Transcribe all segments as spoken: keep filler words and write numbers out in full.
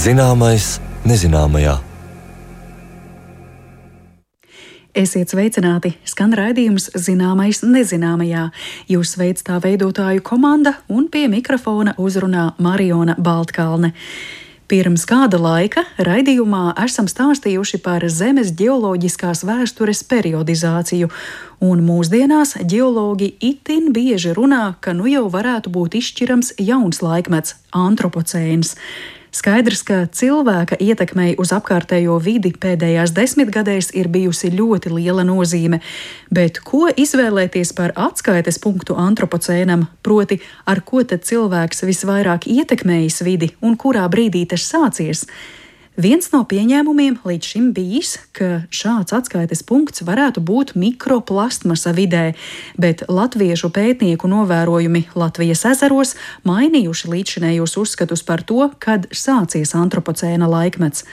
Zināmais nezināmajā. Esiet sveicināti! Skan raidījums Zināmais nezināmajā. Jūs sveic tā veidotāju komanda un pie mikrofona uzrunā Mariona Baltkalne. Pirms kāda laika raidījumā esam stāstījuši par Zemes ģeoloģiskās vēstures periodizāciju, un mūsdienās ģeologi itin bieži runā, ka nu jau varētu būt izšķirams jauns laikmets – antropocēns. Skaidrs, ka cilvēka ietekmei uz apkārtējo vidi pēdējās desmitgadēs ir bijusi ļoti liela nozīme, bet ko izvēlēties par atskaites punktu antropocēnam, proti ar ko tad cilvēks visvairāk ietekmējis vidi un kurā brīdī tas sācies? Viens no pieņēmumiem līdz šim bijis, ka šāds atskaites punkts varētu būt mikroplastmasa vidē, bet latviešu pētnieku novērojumi Latvijas ezeros mainījuši līdzšinējos uzskatus par to, kad sācies antropocēna laikmets.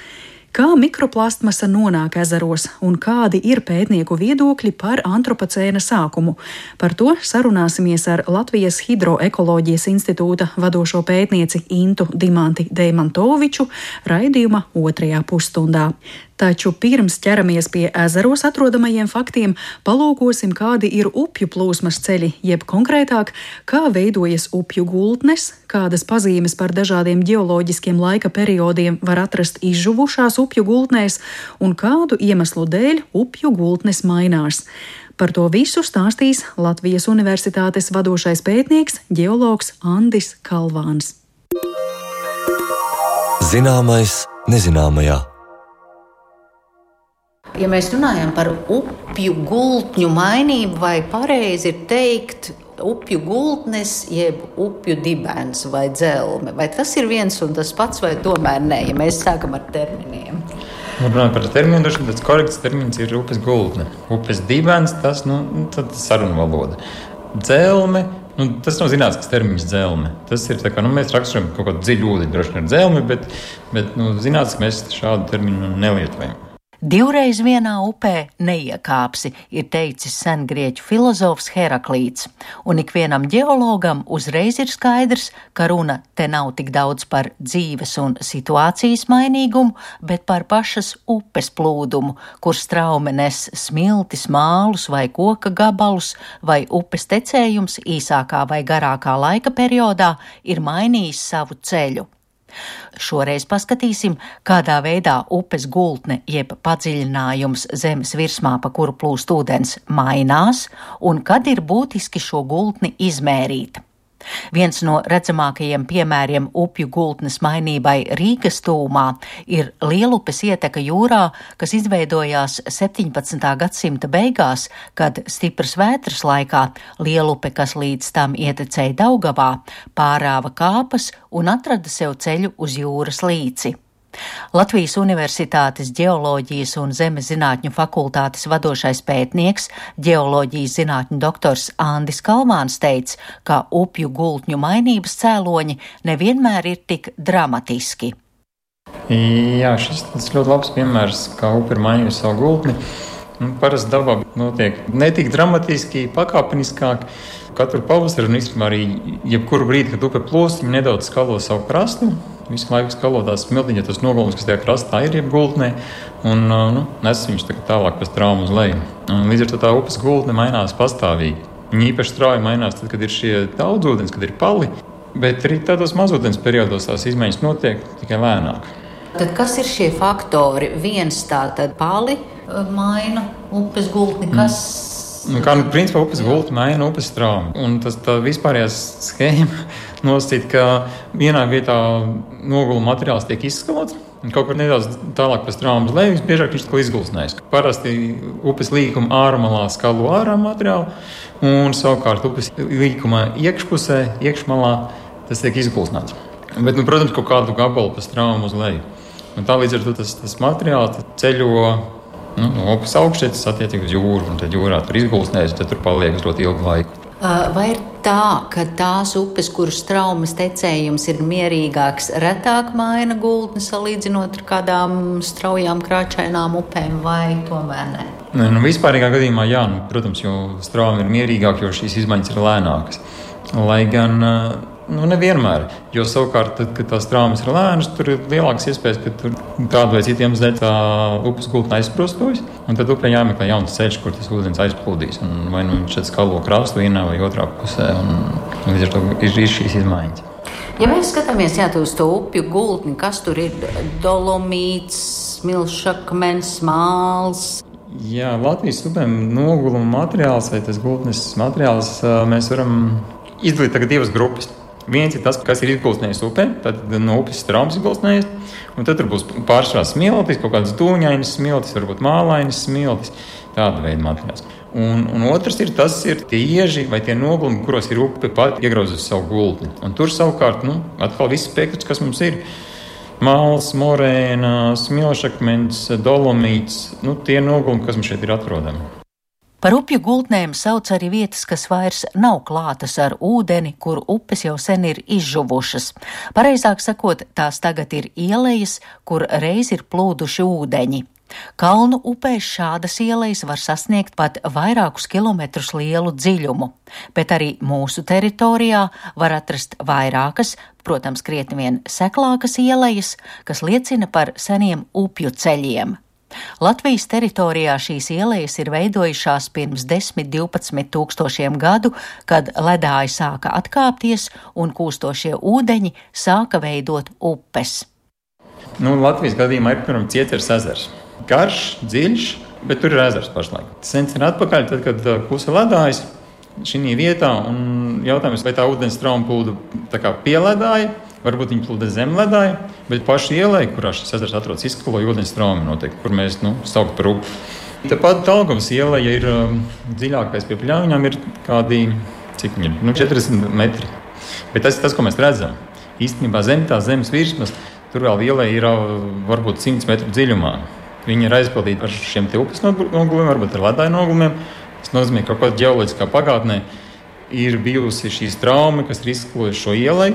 Kā mikroplastmasa nonāk ezeros un kādi ir pētnieku viedokļi par antropocēna sākumu? Par to sarunāsimies ar Latvijas Hidroekoloģijas institūta vadošo pētnieci Intu Dimanti Deimantoviču raidījuma otrajā pusstundā. Taču pirms ķeramies pie ezeros atrodamajiem faktiem, palūkosim, kādi ir upju plūsmas ceļi, jeb konkrētāk, kā veidojas upju gultnes, kādas pazīmes par dažādiem ģeoloģiskiem laika periodiem var atrast izžuvušās upju gultnēs un kādu iemeslu dēļ upju gultnes mainās. Par to visu stāstīs Latvijas Universitātes vadošais pētnieks, ģeologs Andis Kalvāns. Zināmais nezināmajā. Ja mēs runājam par upju gultņu mainību, vai pareizi ir teikt upju gultnes, jeb upju dibens vai dzelme, vai tas ir viens un tas pats, vai tomēr nē, ja mēs sākam ar terminiem? Runājot par terminu, tas korekts termins ir upes gultne. Upes dibens, tas, nu, tad sarunu valoda. Dzelme, nu, tas nav zinātnisks termins dzelme. Tas ir tā kā, nu, mēs raksturojam kaut kādu dziļu ūdeni, droši vien ar dzelmi, bet, bet nu, zinātniski mēs šādu terminu nelietojam. Divreiz vienā upē neiekāpsi, ir teicis sengrieķu filozofs Heraklīts, un ikvienam ģeologam uzreiz ir skaidrs, ka runa te nav tik daudz par dzīves un situācijas mainīgumu, bet par pašas upes plūdumu, kur straume nes smiltis, mālus vai koka gabalus, vai upes tecējums īsākā vai garākā laika periodā ir mainījis savu ceļu. Šoreiz paskatīsim, kādā veidā upes gultne jeb padziļinājums zemes virsmā, pa kuru plūst ūdens, mainās un kad ir būtiski šo gultni izmērīt. Viens no redzamākajiem piemēriem upju gultnes mainībai Rīgas tūmā ir Lielupes ieteka jūrā, kas izveidojās septiņpadsmitā gadsimta beigās, kad stipras vētras laikā Lielupe, kas līdz tam ietecēja Daugavā, pārāva kāpas un atrada sev ceļu uz jūras līci. Latvijas Universitātes ģeoloģijas un zemes zinātņu fakultātes vadošais pētnieks, ģeoloģijas zinātņu doktors Andis Kalvāns teica, ka upju gultņu mainības cēloņi nevienmēr ir tik dramatiski. Jā, šis tas ļoti labs piemērs, kā upe ir mainījusi savu gultni. Parasti dabā notiek ne tik dramatiski, pakāpeniskāk. Katru pavasaru un īstenībā arī jebkuru brīdi, kad upe plūst, viņi nedaudz skalo savu krastu. Visu laiku skalo tās smiltiņa, tas nogulums, kas tajā krastā ir, jeb gultnē, un nu, nes viņš tālāk pa straumu uz leju. Un līdz ar to tā upes gultne mainās pastāvīgi. Viņa īpaši strauji mainās tad, kad ir šie daudzūdens, kad ir pali, bet arī tādos mazūdens periodos tās izmaiņas notiek tikai lēnāk. Tad kas ir šie faktori? Viens tā tad pali maina upes gultni, kas... Mm. Kā, nu, principā upes gultne maina upes straumu, un tas tā vispārējās schēma nosacīt, ka vienā vietā noguluma materiāls tiek izskalots, un kaut kur nedaudz tālāk pa straumu uz leju, biežāk viņš tikko izgulsnēs. Parasti upes līkuma ārmalā skalo ārā materiālu, un savukārt upes līkuma iekšpusē, iekšmalā tas tiek izgulsnēts. Bet, nu, protams, kaut kādu gabalu pa straumu uz leju. Un tā līdz ar to tas, tas materiāls ceļo nu, no upes augšķietas attiecīgi uz jūru, un tad jūrā tur izgulsnēs, tad tur paliek uz ļoti ilgu laiku. Vai ir tā, ka tās upes, kuras traumas tecējums ir mierīgāks, retāk maina gultni salīdzinot ar kādām straujām krāčainām upēm, vai tomēr ne? Ne, nu, vispārīgā gadījumā jā, nu, protams, jo straumi ir mierīgāk, jo šīs izmaiņas ir lēnākas. Lai gan Nu, nevienmēr, jo savukārt, tad, kad tās traumas ir lēnas, tur ir lielākas iespējas, ka tur kādu vai citiem dēļ tā upes gultne aizsprostojas, un tad upē jāmeklē jauns ceļš, kur tas ūdens aizplūdīs, un vai nu viņš skalo krastu vienā vai otrā pusē, un, un līdz ar to ir, ir šīs izmaiņas. Ja mēs skatāmies jā, uz to upju gultni, kas tur ir dolomīts, smilšakmens, māls? Jā, Latvijas upēm noguluma materiāls vai tas gultnes materiāls mēs varam izdalīt tagad divas grupas. Viens ir tas, kas ir izgulstnējis upē, tad no upes traumas izgulstnējis, un tad tur būs pārsvarā smiltis, kaut kādas dūņainas smiltis, varbūt mālainas smiltis, tāda veida materiāls. Un, un otrs ir tas, ir tie ieži vai tie nogulumi, kuros ir upe pat iegrauzusi savu gultni. Un tur savukārt, nu, atkal viss spektrs, kas mums ir. Māls, morēna, smilšakmens, dolomīts, nu, tie nogulumi, kas mums šeit ir atrodami. Par upju gultnēm sauc arī vietas, kas vairs nav klātas ar ūdeni, kur upes jau sen ir izžuvušas. Pareizāk sakot, tās tagad ir ielejas, kur reiz ir plūduši ūdeņi. Kalnu upēs šādas ielejas var sasniegt pat vairākus kilometrus lielu dziļumu, bet arī mūsu teritorijā var atrast vairākas, protams, krietni vien seklākas ielejas, kas liecina par seniem upju ceļiem. Latvijas teritorijā šīs ielejas ir veidojušās pirms desmit līdz divpadsmit tūkstošiem gadu, kad ledāji sāka atkāpties un kūstošie ūdeņi sāka veidot upes. Nu, Latvijas gadījumā ir piemēram Cieceres ezers. Garš, dziļš, bet tur ir ezers pašlaik. Sen sen atpakaļ, tad, kad kusa ledājs šī vietā, un jautājums, vai tā ūdens trauma plūda tā kā pieledāja, varbūt viņi plūda zem ledāja, bet paši ielai, kurā šis ezers atrodas, izskaloja ūdens trauma noteikti, kur mēs, nu, saukt par upi. Tāpat Daugavas iela, ja ir um, dziļākais pie Pļauņām, ir kādi, cik viņi ir, nu, četrdesmit metri. Bet tas ir tas, ko mēs redzam. Īstenībā zem tā zemes virsmas, tur vēl ielai ir varbūt simts metru dziļumā. Viņi ir aizpildīti ar šiem te upes nogulumiem, varbūt ar ledāju nogulumiem. Tas nozīmē, ka kaut kādā ģeoloģiskā pagātnē ir bijusi šīs trauma, kas ir izskalojuši šo ielai.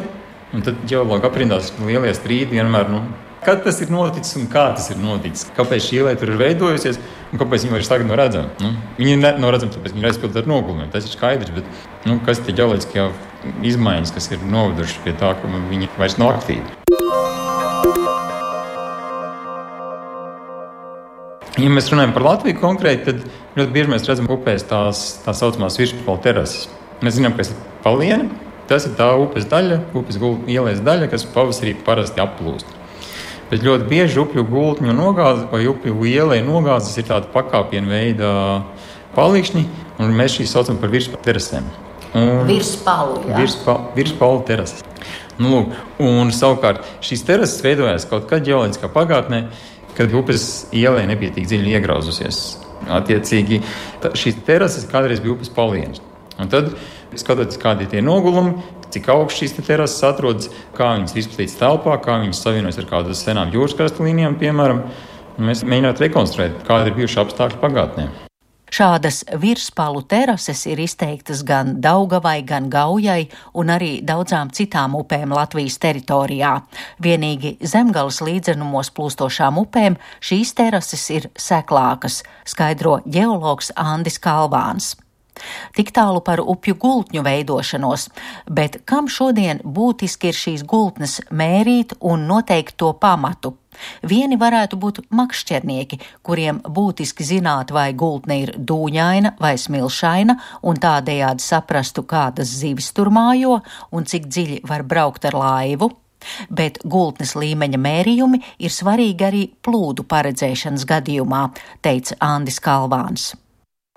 Un tad ģeologi aprindās lielie strīdi vienmēr, nu, kad tas ir noticis un kā tas ir noticis. Kāpēc šī ielai tur ir veidojusies un kāpēc viņi vairs tagad nav redzami. Nu, viņi ir nav redzami, tāpēc viņi ir aizpildīti ar nogulumiem. Tas ir skaidrs, bet nu, kas ir tie ģeoloģiskie izmaiņas, kas ir novedušas pie tā, ka viņi vairs nav aktīvi. Ja mēs runājam par Latviju konkrēti, tad ļoti bieži mēs redzam upēs tās tā saucamās virspalu terases. Mēs zinām, kas ir palieni. Tas ir tā upes daļa, upes ielas daļa, kas pavasarī parasti applūst. Bet ļoti bieži upju gultņu nogāzes vai upju ielai nogāzes ir tāda pakāpienu veida palikšņi, un mēs šīs saucam par virspalu terasēm. Virspalu, jā. Virspalu, virspalu terases. Nu, lūk, un savukārt šīs terases veidojās kaut kad ģeoloģiskā pagātnē, kad upes ielai nebija tik dziļi iegrauzusies. Attiecīgi, šīs terases kādreiz bija upes palienis. Un tad, skatoties, kādi ir tie nogulumi, cik augsts šīs terases atrodas, kā viņas izplatītas telpā, kā viņas savienojas ar kādām senām jūras krasta līnijām, piemēram, mēs mēģinām rekonstruēt, kādi ir bijuši apstākļi pagātnē. Šādas virspalu terases ir izteiktas gan Daugavai, gan Gaujai un arī daudzām citām upēm Latvijas teritorijā. Vienīgi Zemgales līdzenumos plūstošām upēm šīs terases ir seklākas, skaidro ģeologs Andis Kalvāns. Tik tālu par upju gultņu veidošanos, bet kam šodien būtiski ir šīs gultnes mērīt un noteikt to pamatu? Vieni varētu būt makšķernieki, kuriem būtiski zināt, vai gultne ir dūņaina vai smilšaina, un tādējādi saprastu, kādas zivis tur mājo un cik dziļi var braukt ar laivu. Bet gultnes līmeņa mērījumi ir svarīgi arī plūdu paredzēšanas gadījumā, teica Andis Kalvāns.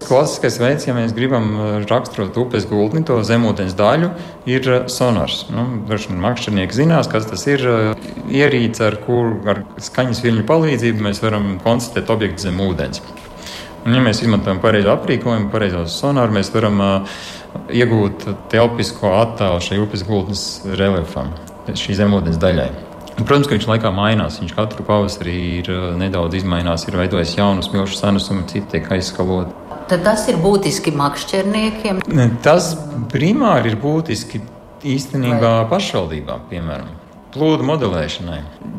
Klasiskais veids, ja mēs gribam raksturot upes gultni, to zemūdens daļu, ir sonars. Nu, daži makšķernieki zinās, kas tas ir ierīce, ar kur ar skaņas viļņu palīdzību mēs varam konstatēt objektu zem ūdens. Un, ja mēs izmantojam pareizo aprīkojumu, pareizos sonaru, mēs varam uh, iegūt telpisko attēlu šai upes gultnes reliefam, šī zemūdens daļai. Un, protams, ka viņš laikā mainās. Viņš katru pavasarī ir nedaudz izmainās, ir veidojis jaunu smilšu sanesumu, citi tiek aizskaloti. Tad tas ir būtiski makšķerniekiem? Tas primāri ir būtiski īstenībā pašvaldībām, piemēram, plūdu modelēšanai.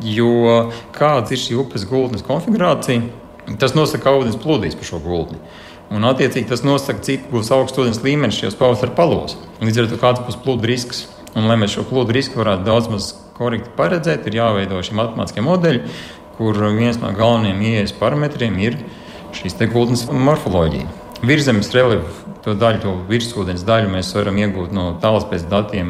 Jo kāds ir šī upes gultnes konfigurācija, tas nosaka, kā ūdens plūdīs pa šo gultni. Un attiecīgi tas nosaka, cik būs augsts ūdens līmenis šajos pavasara palos. Līdz ar to kāds būs plūdu risks. Un, lai mēs šo kļūdu risku varētu daudz maz korekti paredzēt, ir jāveido šie matemātiskie modeļi, kur viens no galvenajiem ieejas parametriem ir šīs te gultnes morfoloģija. Virzemes reliefu, to daļu, to virsūdens daļu mēs varam iegūt no tālspējas datiem,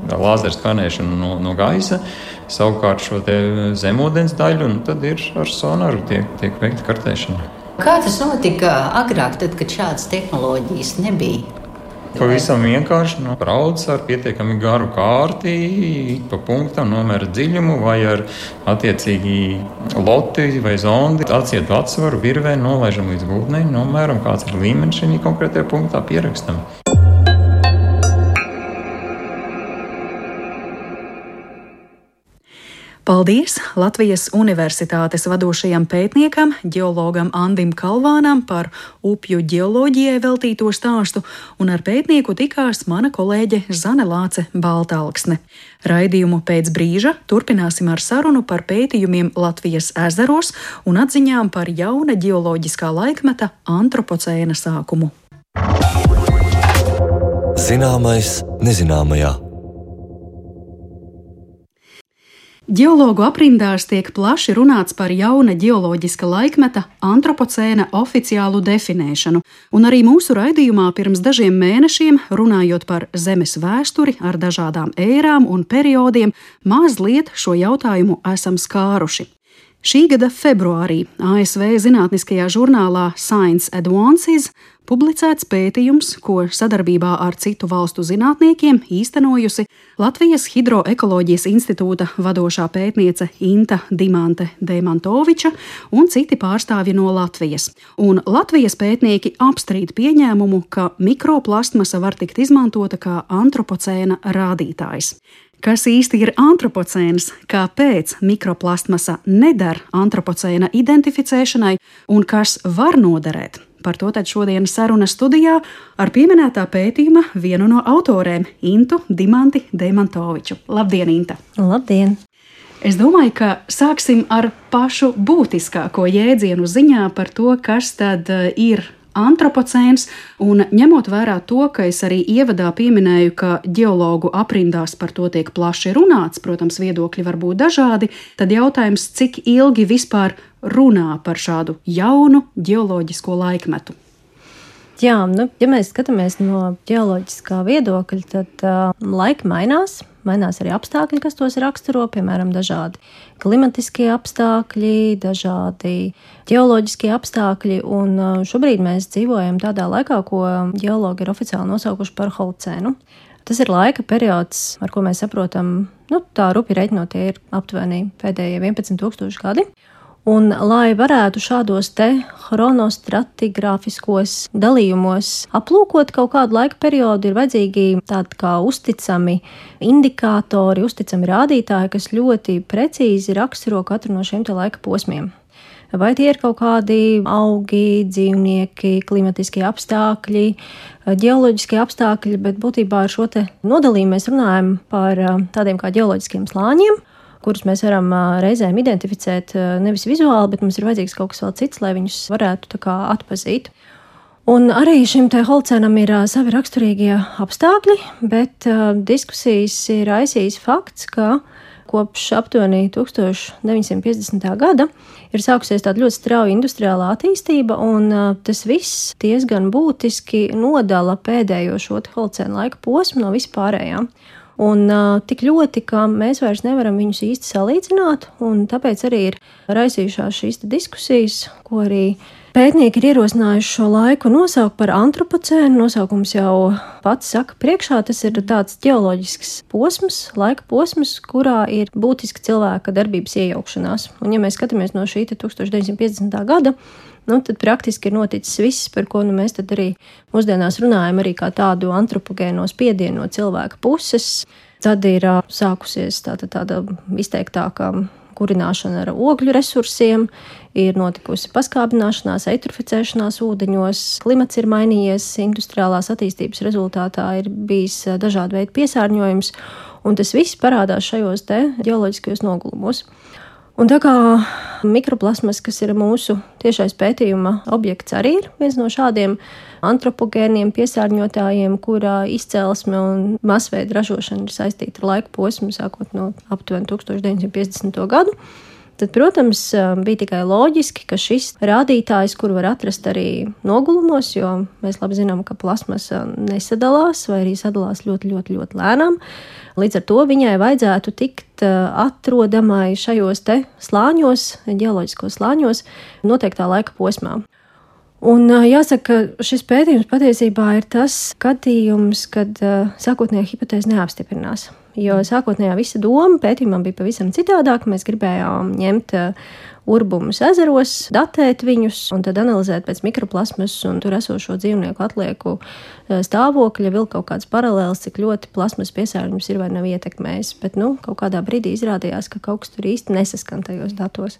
lāzeru skanēšanu no, no gaisa, savukārt šo te zemūdens daļu, un tad ir ar sonaru tiek, tiek veikta kartēšana. Kā tas notika agrāk, tad, kad šādas tehnoloģijas nebija? Pavisam vienkārši nu, brauc ar pietiekami garu kārti, pa punktam nomēra dziļumu vai ar attiecīgi loti vai zondi, atsietu atsvaru, virvē, nolaižam līdz gultnei, nomēram, kāds ir līmenis šī konkrētajā punktā, pierakstam. Paldies Latvijas Universitātes vadošajam pētniekam, ģeologam Andim Kalvānam par upju ģeoloģijai veltīto stāstu, un ar pētnieku tikās mana kolēģe Zane Lāce Baltalksne. Raidījumu pēc brīža turpināsim ar sarunu par pētījumiem Latvijas ezeros un atziņām par jauna ģeoloģiskā laikmeta antropocēna sākumu. Zināmais nezināmajā. Ģeologu aprindās tiek plaši runāts par jauna ģeoloģiska laikmeta antropocēna oficiālu definēšanu, un arī mūsu raidījumā pirms dažiem mēnešiem, runājot par Zemes vēsturi ar dažādām ērām un periodiem, mazliet šo jautājumu esam skāruši. Šī gada februārī A S V zinātniskajā žurnālā Science Advances publicēts pētījums, ko sadarbībā ar citu valstu zinātniekiem īstenojusi Latvijas Hidroekoloģijas institūta vadošā pētniece Inta Dimante Deimantoviča un citi pārstāvji no Latvijas. Un Latvijas pētnieki apstrīd pieņēmumu, ka mikroplastmasa var tikt izmantota kā antropocēna rādītājs. Kas īsti ir antropocēns, kāpēc mikroplastmasa neder antropocēna identificēšanai un kas var noderēt? Par to tad šodien saruna studijā ar pieminētā pētījuma vienu no autorēm, Intu Dimanti Deimantoviču. Labdien, Inta! Labdien! Es domāju, ka sāksim ar pašu būtiskāko jēdzienu ziņā par to, kas tad ir antropocēns, un ņemot vērā to, ka es arī ievadā pieminēju, ka ģeologu aprindās par to tiek plaši runāts, protams, viedokļi var būt dažādi, tad jautājums, cik ilgi vispār runā par šādu jaunu ģeoloģisko laikmetu? Jā, nu, ja mēs skatāmies no ģeoloģiskā viedokļa, tad uh, laiki mainās, mainās arī apstākļi, kas tos raksturo, piemēram, dažādi klimatiskie apstākļi, dažādi ģeoloģiskie apstākļi, un uh, šobrīd mēs dzīvojam tādā laikā, ko ģeologi ir oficiāli nosaukuši par holocēnu. Tas ir laika periods, ar ko mēs saprotam, nu, tā rupi reiķinot, tie ir aptuveni pēdējie vienpadsmit tūkstoši gadi. Un, lai varētu šādos te chronostratigrāfiskos dalījumos aplūkot kaut kādu laika periodu, ir vajadzīgi tādi kā uzticami indikātori, uzticami rādītāji, kas ļoti precīzi raksturo katru no šiem te laika posmiem. Vai tie ir kaut kādi augi, dzīvnieki, klimatiskie apstākļi, ģeoloģiskie apstākļi, bet būtībā ar šo te nodalījumu mēs runājam par tādiem kā ģeoloģiskiem slāņiem, kurus mēs varam reizēm identificēt nevis vizuāli, bet mums ir vajadzīgs kaut kas vēl cits, lai viņus varētu tā kā atpazīt. Un arī šim te holocēnam ir savi raksturīgie apstākļi, bet diskusijas ir raisījis fakts, ka kopš aptuveni tūkstoš deviņsimt piecdesmitā gada ir sākusies tāda ļoti strauja industriālā attīstība, un tas viss diezgan būtiski nodala pēdējo šo holocēna laika posmu no vispārējām. Un uh, tik ļoti, ka mēs vairs nevaram viņus īsti salīdzināt, un tāpēc arī ir raisījušās šīs diskusijas, ko arī pētnieki ir ierosinājuši šo laiku nosaukt par antropocēnu. Nosaukums jau pats saka priekšā, tas ir tāds ģeoloģisks posms, laika posms, kurā ir būtiski cilvēka darbības iejaukšanās. Un ja mēs skatāmies no šī tūkstoš deviņsimt piecdesmitā gada, nu, tad praktiski ir noticis viss, par ko nu, mēs tad arī mūsdienās runājam arī kā tādu antropogēno spiedienu no cilvēka puses. Tad ir uh, sākusies tāda, tāda izteiktākā kurināšana ar ogļu resursiem, ir notikusi paskābināšanās, eitroficēšanās ūdeņos, klimats ir mainījies, industriālās attīstības rezultātā ir bijis dažādi veidi piesārņojums, un tas viss parādās šajos te ģeoloģiskajos nogulumos. Un tā kā mikroplasmas, kas ir mūsu tiešais pētījuma objekts, arī ir viens no šādiem antropogēniem piesārņotājiem, kurā izcelsme un masveida ražošana ir saistīta ar laika posmu, sākot no aptuveni tūkstoš deviņsimt piecdesmito gadu, tad, protams, bija tikai loģiski, ka šis rādītājs, kuru var atrast arī nogulumos, jo mēs labi zinām, ka plasmasa nesadalās vai arī sadalās ļoti, ļoti, ļoti lēnām. Līdz ar to viņai vajadzētu tikt atrodamai šajos te slāņos, ģeoloģiskos slāņos, noteiktā laika posmā. Un jāsaka, ka šis pētījums patiesībā ir tas skatījums, kad sākotnējā hipotēze neapstiprinās. Jo sākotnējā visa doma pētījumam bija pavisam citādāk. Mēs gribējām ņemt urbumus ezeros, datēt viņus un tad analizēt pēc mikroplasmas un tur esošo dzīvnieku atlieku stāvokļa, vilkt kaut kāds paralēls, cik ļoti plasmas piesārņojums ir vai nav ietekmējis. Bet nu, kaut kādā brīdī izrādījās, ka kaut kas tur īsti nesaskan tajos datos.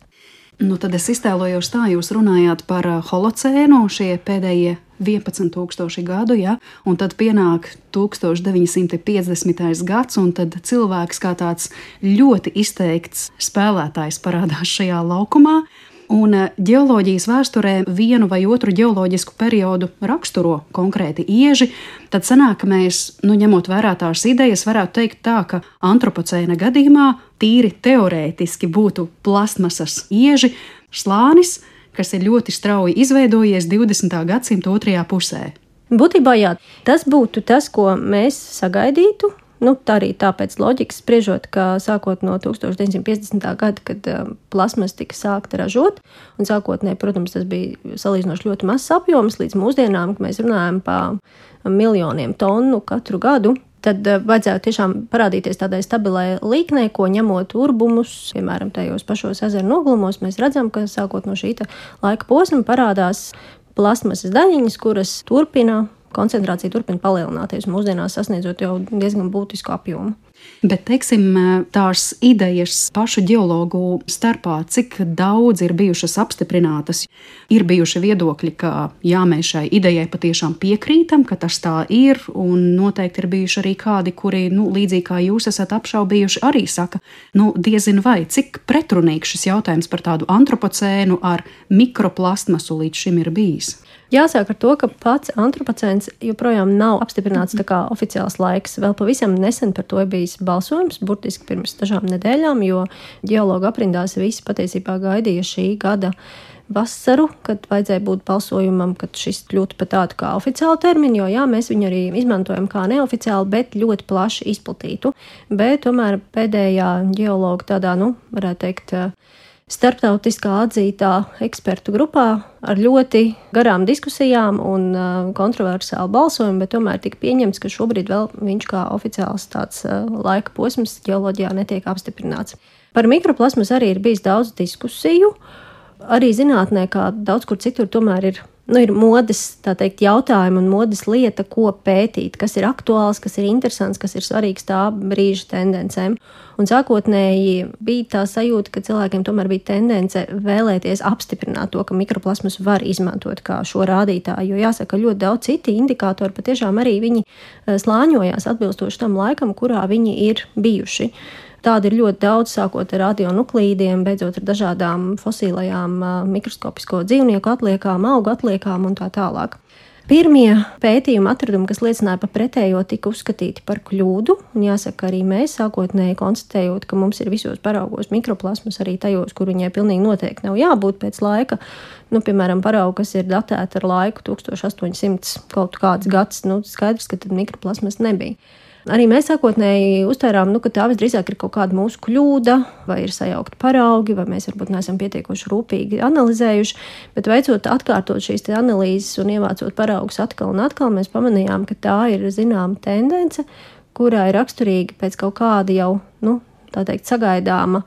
Nu, tad es iztēlojos tā, jūs runājāt par holocēnu, šie pēdējie vienpadsmit tūkstoši gadu, ja? Un tad pienāk tūkstoš deviņsimt piecdesmitais gads, un tad cilvēks kā tāds ļoti izteikts spēlētājs parādās šajā laukumā. Un ģeoloģijas vēsturē vienu vai otru ģeoloģisku periodu raksturo konkrēti ieži, tad sanāk, ka mēs, nu, ņemot vērā tās idejas, varētu teikt tā, ka antropocēna gadījumā tīri teorētiski būtu plastmasas ieži slānis, kas ir ļoti strauji izveidojies divdesmitā gadsimta otrajā pusē. Būtībā jā, tas būtu tas, ko mēs sagaidītu. Nu, tā arī tāpēc loģikas spriežot, ka sākot no tūkstoš deviņsimt piecdesmitā gada, kad plasmas tika sākta ražot, un sākotnēji, protams, tas bija salīdzinoši ļoti mazs apjoms līdz mūsdienām, kad mēs runājam par miljoniem tonu katru gadu, tad vajadzētu tiešām parādīties tādai stabilai līknei, ko ņemot urbumus, piemēram, tajos pašos ezeru nogulumos, mēs redzam, ka sākot no šī laika posma parādās plasmasas daļiņas, kuras turpina koncentrācija turpina palielināties, mūsdienās sasniedzot jau diezgan būtisku apjomu. Bet, teiksim, tās idejas pašu ģeologu starpā, cik daudz ir bijušas apstiprinātas, ir bijuši viedokļi, ka jā, mēs šai idejai patiešām piekrītam, ka tas tā ir, un noteikti ir bijuši arī kādi, kuri, nu, līdzīgi kā jūs esat apšaubījuši, arī saka, nu, diezin vai, cik pretrunīgs šis jautājums par tādu antropocēnu ar mikroplastmasu līdz šim ir bijis. Jāsāk ar to, ka pats antropocēns joprojām nav apstiprināts tā kā oficiāls laiks. Vēl pavisam nesen par to ir bijis balsojums, burtiski pirms dažām nedēļām, jo ģeologu aprindās visi patiesībā gaidīja šī gada vasaru, kad vajadzēja būt balsojumam, kad šis kļūtu par tādu kā oficiālu terminu, jo jā, mēs viņu arī izmantojam kā neoficiālu, bet ļoti plaši izplatītu. Bet tomēr pēdējā ģeologa tādā, nu, varētu teikt, starptautiskā atzītā ekspertu grupā ar ļoti garām diskusijām un kontroversālu balsojumu, bet tomēr tika pieņemts, ka šobrīd vēl viņš kā oficiāls tāds laika posms ģeoloģijā netiek apstiprināts. Par mikroplasmas arī ir bijis daudz diskusiju. Arī zinātnē, kā daudz kur citur, tomēr ir, nu, ir modes, tā teikt, jautājumi un modes lieta, ko pētīt, kas ir aktuāls, kas ir interesants, kas ir svarīgs tā brīža tendencēm. Un sākotnēji bija tā sajūta, ka cilvēkiem tomēr bija tendence vēlēties apstiprināt to, ka mikroplasmas var izmantot kā šo rādītāju, jo jāsaka, ļoti daudz citi indikātori patiešām arī viņi slāņojās atbilstoši tam laikam, kurā viņi ir bijuši. Tāda ir ļoti daudz, sākot ar radionuklīdiem, beidzot ar dažādām fosīlajām mikroskopisko dzīvnieku atliekām, augu atliekām un tā tālāk. Pirmie pētījuma atradumi, kas liecināja par pretējo, tika uzskatīti par kļūdu, un jāsaka, arī mēs sākotnēji konstatējot, ka mums ir visos paraugos mikroplasmas, arī tajos, kur viņai pilnīgi noteikti nav jābūt pēc laika. Nu, piemēram, paraugi, kas ir datēti ar laiku tūkstoš astoņsimt kaut kāds gads, nu, skaidrs, ka tad mikroplasmas nebija. Arī mēs sākotnēji uztvērām, nu, ka tā visdrīzāk ir kaut kāda mūsu kļūda, vai ir sajaukti paraugi, vai mēs varbūt neesam pietiekoši rūpīgi analizējuši, bet veicot atkārtot šīs te analīzes un ievācot paraugus atkal un atkal, mēs pamanījām, ka tā ir zināma tendence, kurā ir raksturīgi pēc kaut kāda jau, nu, tā teikt, sagaidāma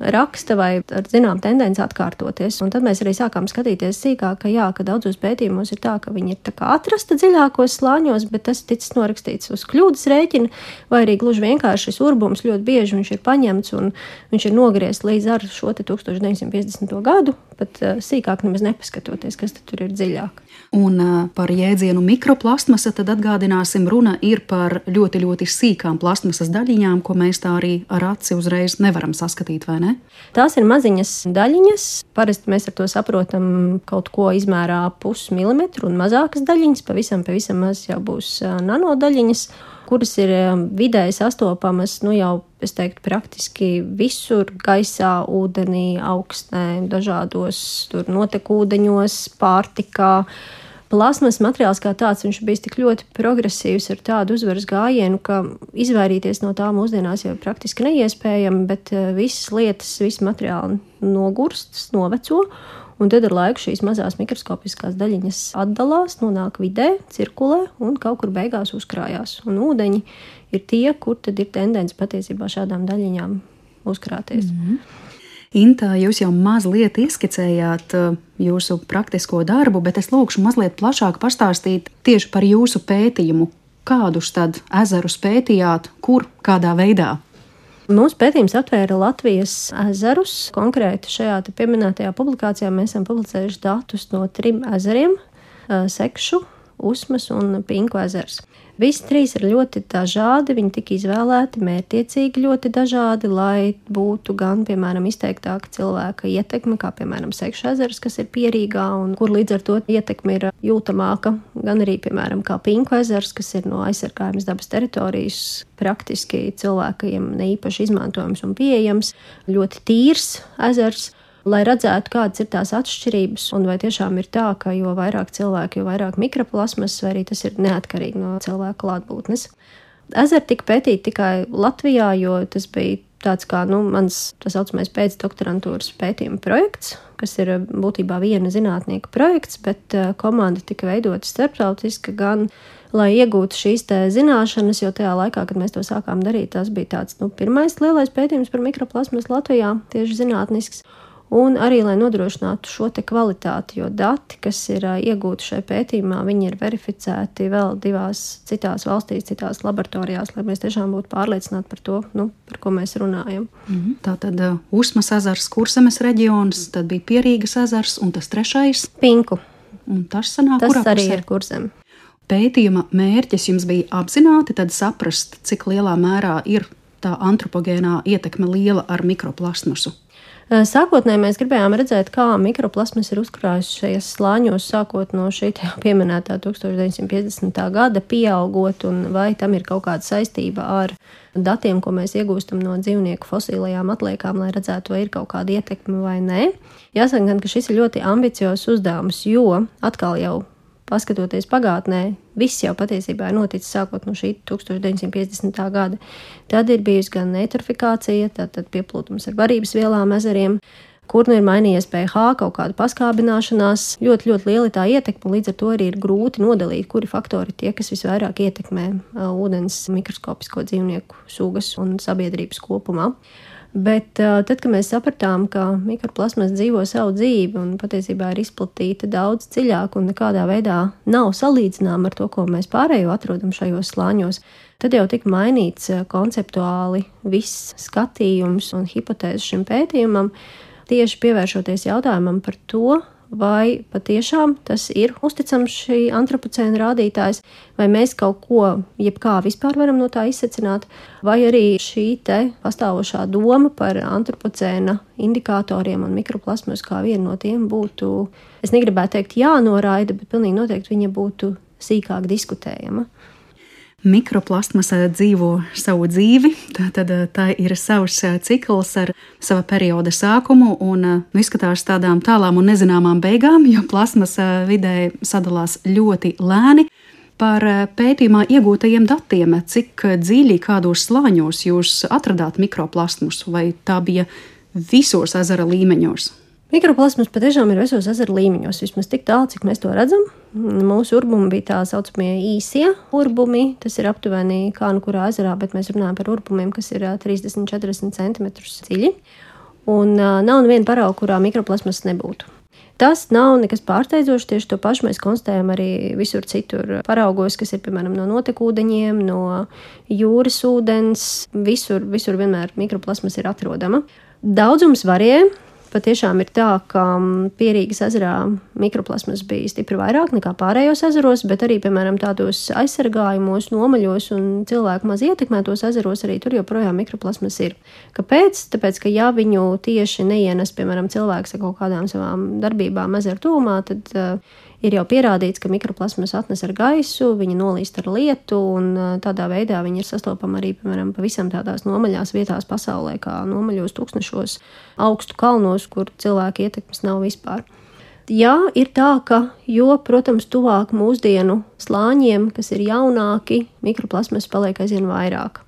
raksta vai ar zinām tendenci atkārtoties. Un tad mēs arī sākām skatīties sīkāk, ka jā, ka daudzos pētījumos ir tā, ka viņi ir tā kā atrasta dziļākos slāņos, bet tas ticis norakstīts uz kļūdas rēķina, vai arī gluži vienkārši šis urbums ļoti bieži viņš ir paņemts un viņš ir nogriezts līdz ar šo te tūkstoš deviņsimt piecdesmito gadu, pat sīkāk nemaz nepaskatoties, kas tur ir dziļāk. Un par jēdzienu mikroplastmasa tad atgādināsim, runa ir par ļoti, ļoti sīkām plastmasas daļiņām, ko mēs tā arī ar aci uzreiz nevaram saskatīt, vai ne? Tās ir maziņas daļiņas. Parasti mēs ar to saprotam kaut ko izmērā pusmilimetru un mazākas daļiņas, pavisam, pavisam maz jau būs nanodaļiņas, kuras ir vidēji sastopamas, nu jau, es teiktu, praktiski visur gaisā, ūdenī, augstnē, dažādos tur notekūdeņos, pārtikā. Plasmas materiāls kā tāds, viņš bijis tik ļoti progresīvs ar tādu uzvaras gājienu, ka izvairīties no tā mūsdienās jau praktiski neiespējami, bet visas lietas, visi materiāli nogurst, noveco, un tad ar laiku šīs mazās mikroskopiskās daļiņas atdalās, nonāk vidē, cirkulē un kaut kur beigās uzkrājās. Un ūdeņi ir tie, kur tad ir tendence patiesībā šādām daļiņām uzkrāties. Mm-hmm. Inta, jūs jau mazliet ieskicējāt jūsu praktisko darbu, bet es lūkšu mazliet plašāk pastāstīt tieši par jūsu pētījumu. Kādus tad ezerus pētījāt, kur, kādā veidā? Mūsu pētījums atvēra Latvijas ezerus. Konkrēti šajā te pieminētajā publikācijā mēs esam publicējuši datus no trim ezeriem – Sekšu, Usmas un Pinku ezers. Visi trīs ir ļoti dažādi, viņi tika izvēlēti mērķtiecīgi ļoti dažādi, lai būtu gan, piemēram, izteiktāka cilvēka ietekme, kā, piemēram, Sekšu ezers, kas ir Pierīgā un kur līdz ar to ietekme ir jūtamāka, gan arī, piemēram, kā Pinku ezers, kas ir no aizsargājamas dabas teritorijas, praktiski cilvēkiem neīpaši izmantojams un pieejams, ļoti tīrs ezers. Lai redzētu, kādas ir tās atšķirības, un vai tiešām ir tā, ka jo vairāk cilvēku, jo vairāk mikroplasmas, vai arī tas ir neatkarīgi no cilvēka klātbūtnes. Ezeri tika pētīti tikai Latvijā, jo tas bija tāds kā nu, mans tā saucamais pēcdoktorantūras pētījuma projekts, kas ir būtībā viena zinātnieka projekts, bet komanda tika veidota starptautiski gan, lai iegūtu šīs te zināšanas, jo tajā laikā, kad mēs to sākām darīt, tas bija tāds nu, pirmais lielais pētījums par mikroplasmas Latvijā, tieši zinātnisks. Un arī, lai nodrošinātu šo te kvalitāti, jo dati, kas ir iegūti šajā pētījumā, viņi ir verificēti vēl divās citās valstīs, citās laboratorijās, lai mēs tiešām būtu pārliecināti par to, nu, par ko mēs runājam. Mm-hmm. Tātad uh, Usmas ezers, Kurzemes reģions, tad bija Pierīgas ezers un tas trešais? Pinku. Un tas sanāk, tas kurā arī pusē? Ir Kurzeme. Pētījuma mērķis jums bija apzināti tad saprast, cik lielā mērā ir tā antropogēnā ietekme liela ar mikroplastmasu. Sākotnēji mēs gribējām redzēt, kā mikroplasmas ir uzkrājusi šajos slāņos, sākot no šī pieminētā tūkstoš deviņsimt piecdesmitā gada, pieaugot, un vai tam ir kaut kāda saistība ar datiem, ko mēs iegūstam no dzīvnieku fosīlajām atliekām, lai redzētu, vai ir kaut kāda ietekme vai nē. Jāsaka gan, ka šis ir ļoti ambiciozs uzdevums, jo atkal jau paskatoties pagātnē, viss jau patiesībā ir noticis sākot no šī tūkstoš deviņsimt piecdesmitā gada. Tad ir bijusi gan eitrofikācija, tātad pieplūtums ar barības vielām ezeriem, kur nu ir mainījies pH, kaut kāda paskābināšanās, ļoti, ļoti liela tā ietekme, līdz ar to arī ir grūti nodalīt, kuri faktori tie, kas visvairāk ietekmē ūdens mikroskopisko dzīvnieku sugas un sabiedrības kopumā. Bet tad, kad mēs sapratām, ka mikroplasmas dzīvo savu dzīvi un patiesībā ir izplatīta daudz dziļāk un nekādā veidā nav salīdzināma ar to, ko mēs pārējo atrodam šajos slāņos, tad jau tika mainīts konceptuāli viss skatījums un hipotēzes šim pētījumam, tieši pievēršoties jautājumam par to, vai patiešām tas ir uzticams šī antropocēna rādītājs, vai mēs kaut ko, jebkā vispār varam no tā izsecināt, vai arī šī te pastāvošā doma par antropocēna indikatoriem un mikroplasmas kā vienu no tiem būtu, es negribētu teikt jānoraida, bet pilnīgi noteikti viņa būtu sīkāk diskutējama. Mikroplastmasa dzīvo savu dzīvi, tad tā ir savs cikls ar sava perioda sākumu un nu, izskatās tādām tālām un nezināmām beigām, jo plasmasa vidē sadalās ļoti lēni. Par pētījumā iegūtajiem datiem, cik dziļi kādos slāņos jūs atradāt mikroplastmasu, vai tā bija visos ezera līmeņos? Mikroplasmas patiešām ir visos ezera līmeņos, vismaz tik tālu, cik mēs to redzam. Mūsu urbumi bija tā saucamie īsie urbumi, tas ir aptuveni kā nu kurā ezerā, bet mēs runājam par urbumiem, kas ir trīsdesmit līdz četrdesmit centimetrus dziļi. Un nav neviena parauga, kurā mikroplasmas nebūtu. Tas nav nekas pārsteidzošs, tieši to pašu mēs konstatējam arī visur citur paraugos, kas ir, piemēram, no notekūdeņiem, no jūras ūdens, visur, visur vienmēr mikroplasmas ir atrodama. Daudzums varēja. patiešām ir tā, ka Pierīgas ezerā mikroplasmas bija stipri vairāk nekā pārējos ezeros, bet arī, piemēram, tādos aizsargājumos, nomaļos un cilvēku maz ietekmētos ezeros arī tur joprojām mikroplasmas ir. Kāpēc? Tāpēc, ka ja viņu tieši neienes, piemēram, cilvēks ar kaut kādām savām darbībām ezeru tūmā, tad uh, ir jau pierādīts, ka mikroplasmas atnes ar gaisu, viņi nolīst ar lietu, un tādā veidā viņi ir sastopami arī, piemēram, pavisam tādās nomaļās vietās pasaulē, kā nomaļos tūkstnešos, augstu kalnos, kur cilvēku ietekmes nav vispār. Jā, ir tā, ka, jo, protams, tuvāk mūsdienu slāņiem, kas ir jaunāki, mikroplasmas paliek aizvien vairāk.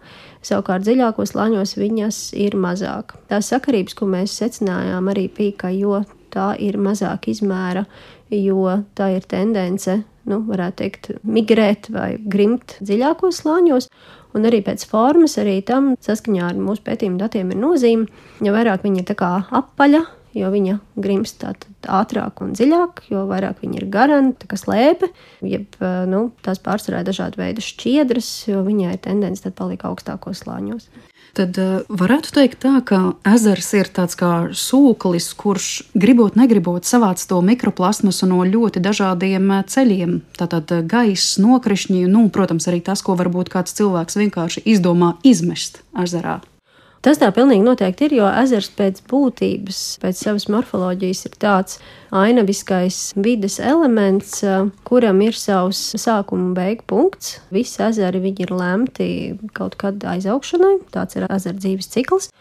Savukārt dziļākos slāņos viņas ir mazāk. Tās sakarības, ko mēs secinājām, arī bija, ka jo tā ir mazāk izmēra, jo tā ir tendence, nu, varētu teikt, migrēt vai grimt dziļākos slāņos, un arī pēc formas, arī tam saskaņā ar mūsu pētījumu datiem ir nozīme, jo vairāk viņa ir tā kā apaļa, jo viņa grimst tātad ātrāk un dziļāk, jo vairāk viņa ir garana, tā kā slēpe, jeb, nu, tās pārsvarā dažādi veidi šķiedras, jo viņai ir tendence tad paliek augstākos slāņos. Tad varētu teikt tā, ka ezers ir tāds kā sūklis, kurš gribot, negribot savāc to mikroplasmasu no ļoti dažādiem ceļiem. Tātad gaiss, nokrišņi, nu, protams, arī tas, ko varbūt kāds cilvēks vienkārši izdomā izmest ezerā. Tas tā pilnīgi noteikti ir, jo ezers pēc būtības, pēc savas morfoloģijas ir tāds ainaviskais vides elements, kuram ir savs sākuma un beigu punkts. Visi ezeri viņi ir lemti kaut kad aizaugšanai, tāds ir ezera dzīves cikls.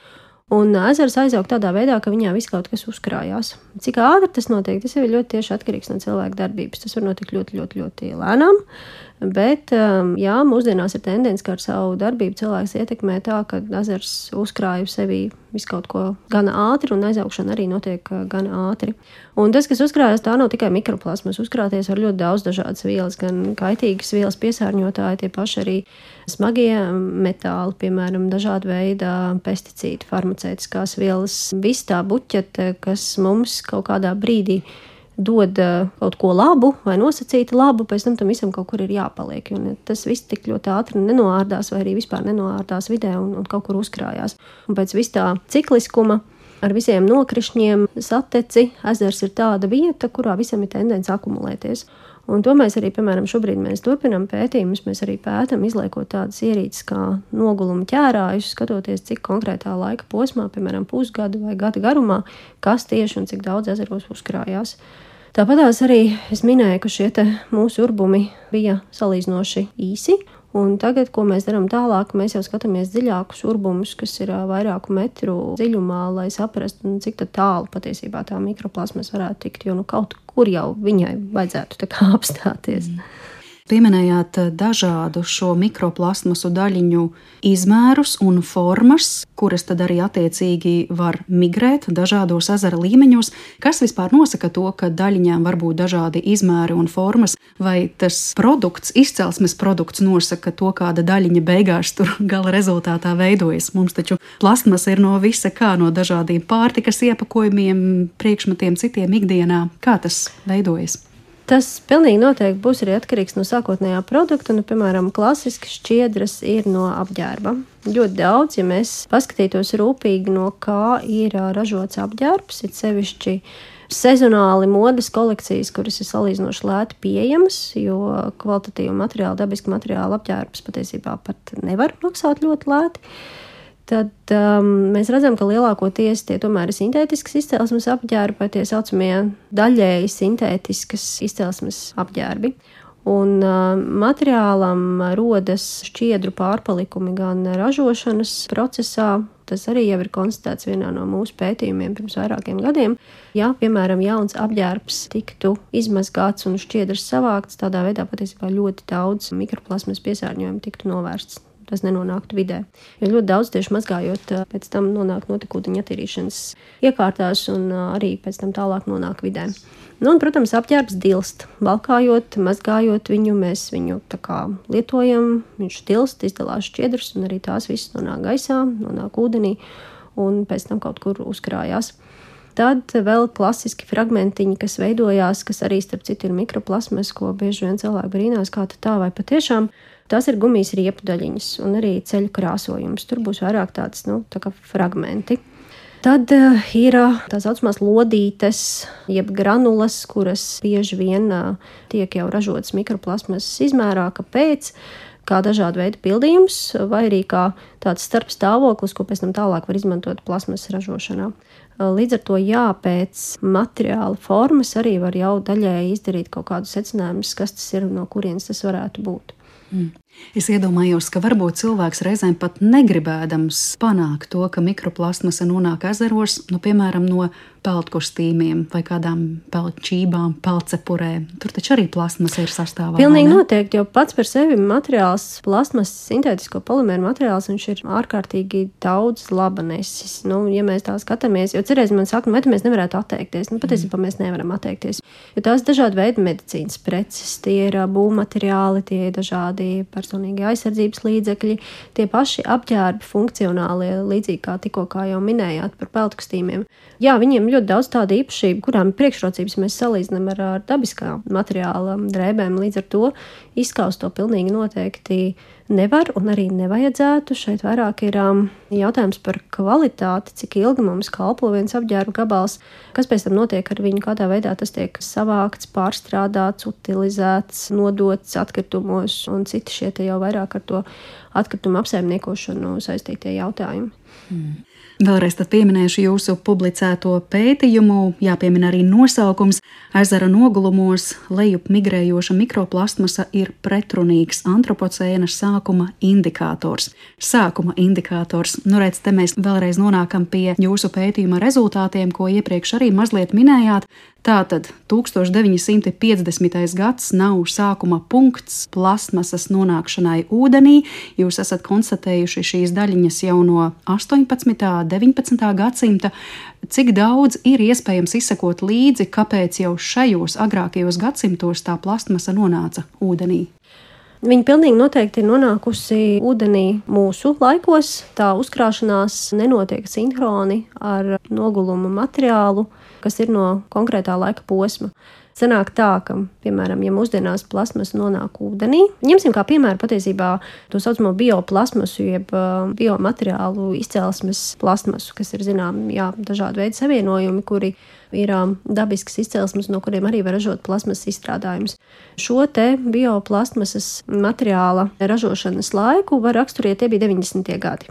Un ezers aizaug tādā veidā, ka viņā viss kaut kas uzkrājās. Cik ātri tas notiek, tas jau ir ļoti tieši atkarīgs no cilvēka darbības. Tas var notikt ļoti, ļoti, ļoti lēnām. Bet, jā, mūsdienās ir tendence, ka ar savu darbību cilvēks ietekmē tā, ka ezers uzkrāja sevī visu kaut ko gana ātri, un aizaugšana arī notiek gana ātri. Un tas, kas uzkrājas, tā nav tikai mikroplasmas. Uzkrāties var ļoti daudz dažādas vielas, gan kaitīgas vielas piesārņotāji, tie paši arī smagie metāli, piemēram, dažāda veida pesticīdi, farmaceitiskās vielas, viss tā buķete, kas mums kaut kādā brīdī dod kaut ko labu vai nosacīti labu, pēc tam tam visam kaut kur ir jāpaliek. Un tas viss tik ļoti ātri nenoārdās vai arī vispār nenoārdās vidē un, un kaut kur uzkrājās. Un pēc vis tā cikliskuma ar visiem nokrišņiem, sateci, ezers ir tāda vieta, kurā visam ir tendence akumulēties. Un to mēs arī, piemēram, šobrīd mēs turpinām pētījumus, mēs arī pētam, izliekot tādas ierīces kā noguluma ķērājus, skatoties, cik konkrētā laika posmā, piemēram, pusgadu vai gada garumā, kas tieši un cik daudz ezeros uzkrājās. Tāpatās arī es minēju, ka šie te mūsu urbumi bija salīdzinoši īsi, un tagad, ko mēs darām tālāk, mēs jau skatāmies dziļākus urbumus, kas ir vairāku metru dziļumā, lai saprastu, cik tad tālu patiesībā tā mikroplasmas varētu tikt, jo nu kaut kur jau viņai vajadzētu tā kā apstāties. Mm. Pieminējāt dažādu šo mikroplasmasu daļiņu izmērus un formas, kuras tad arī attiecīgi var migrēt dažādos ezera līmeņos. Kas vispār nosaka to, ka daļiņām var būt dažādi izmēri un formas, vai tas produkts, izcelsmes produkts nosaka to, kāda daļiņa beigās tur gala rezultātā veidojas? Mums taču plastmas ir no visa kā, no dažādiem pārtikas iepakojumiem, priekšmetiem, citiem ikdienā. Kā tas veidojas? Tas pilnīgi noteikti būs arī atkarīgs no sākotnējā produkta. Nu, piemēram, klasiski šķiedras ir no apģērba. Ļoti daudz, ja mēs paskatītos rūpīgi, no kā ir ražots apģērbs, ir sevišķi sezonāli modes kolekcijas, kuras ir salīdzinoši lēti pieejamas, jo kvalitatīvu materiālu, dabisku materiālu apģērbs patiesībā pat nevar maksāt ļoti lēti. Tad um, mēs redzam, ka lielākoties tie tomēr ir sintētiskas izcelsmes apģērbi vai tie saucamie daļēji sintētiskas izcelsmes apģērbi. Un uh, materiālam rodas šķiedru pārpalikumi gan ražošanas procesā, tas arī jau ir konstatēts vienā no mūsu pētījumiem pirms vairākiem gadiem. Ja, piemēram, jauns apģērbs tiktu izmazgāts un šķiedras savākts, tādā veidā patiesībā ļoti daudz mikroplasmas piesārņojumu tiktu novērsts. Tas nenonāktu vidē. Jo ļoti daudz tieši mazgājot, pēc tam nonāk notekūdeņa attīrīšanas iekārtās un arī pēc tam tālāk nonāk vidē. Nu, un, protams, apģērbs dilst. Valkājot, mazgājot viņu, mēs viņu tā kā lietojam, viņš dilst, izdalās šķiedras un arī tās visas nonāk gaisā, nonāk ūdenī un pēc tam kaut kur uzkrājās. Tad vēl klasiski fragmentiņi, kas veidojās, kas arī starp citu ir mikroplasmas, ko bieži vien cilvēki brīnās, kā tā vai patiešām. Tās ir gumijas riepu daļiņas un arī ceļu krāsojums. Tur būs vairāk tāds, nu, tā kā fragmenti. Tad uh, ir uh, tā saucamās lodītes, jeb granulas, kuras bieži vien uh, tiek jau ražotas mikroplasmasas izmērā. Kāpēc? Kā dažādu veidu pildījums, vai arī kā tāds starpstāvoklis, ko pēc tam tālāk var izmantot plasmasas ražošanā. Līdz ar to jā, pēc materiāla formas arī var jau daļēji izdarīt kaut kādus secinājumus, kas tas ir un no kurienes tas varētu būt. Mm. Es iedomājos, ka varbūt cilvēks reizēm pat negribēdams panākt to, ka mikroplasmasa nonāk ezeros, nu, piemēram, no peldkostīmiem vai kādām peldčībām, peldcepurēm. Tur taču arī plasmasa ir sastāvā. Pilnīgi noteikti, jo pats par sevi materiāls, plasmasas, sintētisko polimēru materiāls, viņš ir ārkārtīgi daudz labanesis. Nu, ja mēs tā skatāmies, jo cerēs man saka, nu, vai mēs nevarētu atteikties? Nu, patiesībā mēs nevaram atteikties, jo tās dažādi veidi medicīnas preces, tie ir būvmateriāli, tie ir dažādi personīgi aizsardzības līdzekļi, tie paši apģērbi funkcionālie, līdzīgi kā tikko kā jau minējāt par peldkostīmiem. Jā, viņiem ļoti daudz tādu īpašību, kurām priekšrocības mēs salīdzinām ar, ar dabiskā materiāla drēbēm. Līdz ar to izskaust to pilnīgi noteikti nevar un arī nevajadzētu. Šeit vairāk ir um, jautājums par kvalitāti, cik ilgi mums kalpo viens apģērba gabals, kas pēc tam notiek ar viņu, kādā veidā tas tiek savākts, pārstrādāts, utilizēts, nodots atkritumos un citi šie te jau vairāk ar to atkritumu apsaimniekošanu saistītie jautājumi. Mm. Vēlreiz tad pieminēšu jūsu publicēto pētījumu, jāpiemina arī nosaukums. Ezera nogulumos lejup migrējoša mikroplasmasa ir pretrunīgs antropocēna sākuma indikators. Sākuma indikators. Nu, redz, te mēs vēlreiz nonākam pie jūsu pētījuma rezultātiem, ko iepriekš arī mazliet minējāt. Tātad tūkstoš deviņi simti piecdesmitais gads nav sākuma punkts plasmasas nonākšanai ūdenī. Jūs esat konstatējuši šīs daļiņas jau no astoņpadsmitā, deviņpadsmitā gadsimta. Cik daudz ir iespējams izsekot līdzi, kāpēc jau šajos agrākajos gadsimtos tā plasmasa nonāca ūdenī? Viņa pilnīgi noteikti ir nonākusi ūdenī mūsu laikos. Tā uzkrāšanās nenotiek sinhroni ar noguluma materiālu, kas ir no konkrētā laika posma. Sanāk tā, ka, piemēram, ja mūsdienās plasmasa nonāk ūdenī, ņemsim kā piemēru patiesībā to saucamo bioplasmasu, jeb biomateriālu izcelsmes plasmasu, kas ir, zinām, jā, dažādi veidi savienojumi, kuri ir dabiskas izcelsmes, no kuriem arī var ražot plasmasas izstrādājumus. Šo te bioplasmasas materiāla ražošanas laiku var raksturēt, tie bija deviņdesmitie gadi.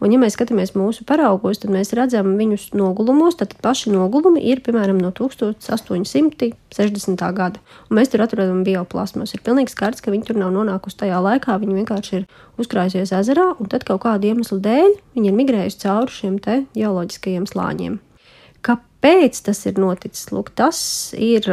Un, ja mēs skatāmies mūsu paraugos, tad mēs redzam viņus nogulumos, tad paši nogulumi ir, piemēram, no tūkstoš astoņi simti sešdesmitā gada. Un mēs tur atrodam bioplasmasu. Ir pilnīgi skaidrs, ka viņi tur nav nonākusi tajā laikā, viņi vienkārši ir uzkrājusies ezerā, un tad kaut kādu iemeslu dēļ viņi ir migrējuši cauri šiem te ģeoloģiskajiem slāņiem. Kāpēc tas ir noticis? Lūk, tas ir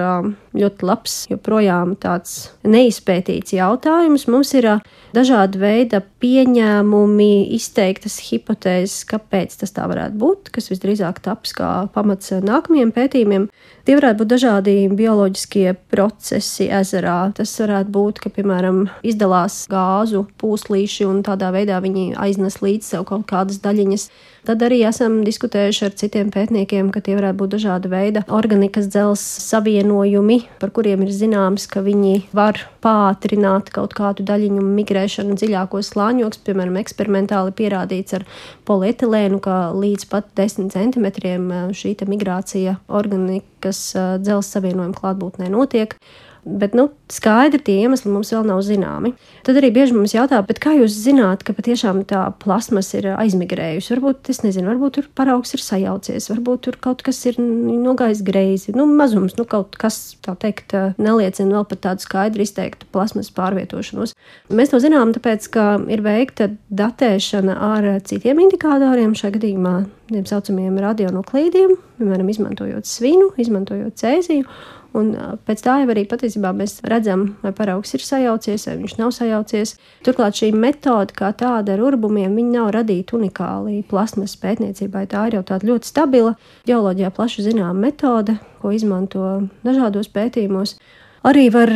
ļoti labs, joprojām tāds neizpētīts jautājums. Mums ir dažādi veidi pieņēmumi, izteiktas hipotēzes, kāpēc tas tā varētu būt, kas visdrīzāk taps kā pamats nākamajiem pētījumiem. Tie varētu būt dažādi bioloģiskie procesi ezerā. Tas varētu būt, ka, piemēram, izdalās gāzu pūslīši un tādā veidā viņi aiznes līdz sev kaut kādas daļiņas. Tad arī esam diskutējuši ar citiem pētniekiem, ka tie varētu būt dažāda veida organikas dzelzs savienojumi, par kuriem ir zināms, ka viņi var pātrināt kaut kādu daļiņu migrēšanu dziļākos slāņos. Piemēram, eksperimentāli pierādīts ar polietilēnu, ka līdz pat desmit centimetriem šī migrācija organikas dzelzs savienojuma klātbūtnē notiek. Bet, nu, skaidri tie iemesli mums vēl nav zināmi. Tad arī bieži mums jautā, bet kā jūs zināt, ka patiešām tā plasmasa ir aizmigrējusi? Varbūt, es nezinu, varbūt tur paraugs ir sajaucies, varbūt tur kaut kas ir nogājis greizi. Nu, mazums, nu, kaut kas, tā teikt, neliecina vēl par tādu skaidri izteiktu plasmasas pārvietošanos. Mēs to zinām, tāpēc, ka ir veikta datēšana ar citiem indikatoriem, šajā gadījumā tiem saucamiem radionuklīdiem, piemēram, izmantojot svinu, izmantojot cēziju. Un pēc tā jau arī patiesībā mēs redzam, vai paraugs ir sajaucies, vai viņš nav sajaucies. Turklāt šī metode kā tāda ar urbumiem, viņa nav radīta unikāli plasmasas pētniecībai. Tā ir jau tāda ļoti stabila, ģeoloģijā plaši zināma metode, ko izmanto dažādos pētījumos. Arī var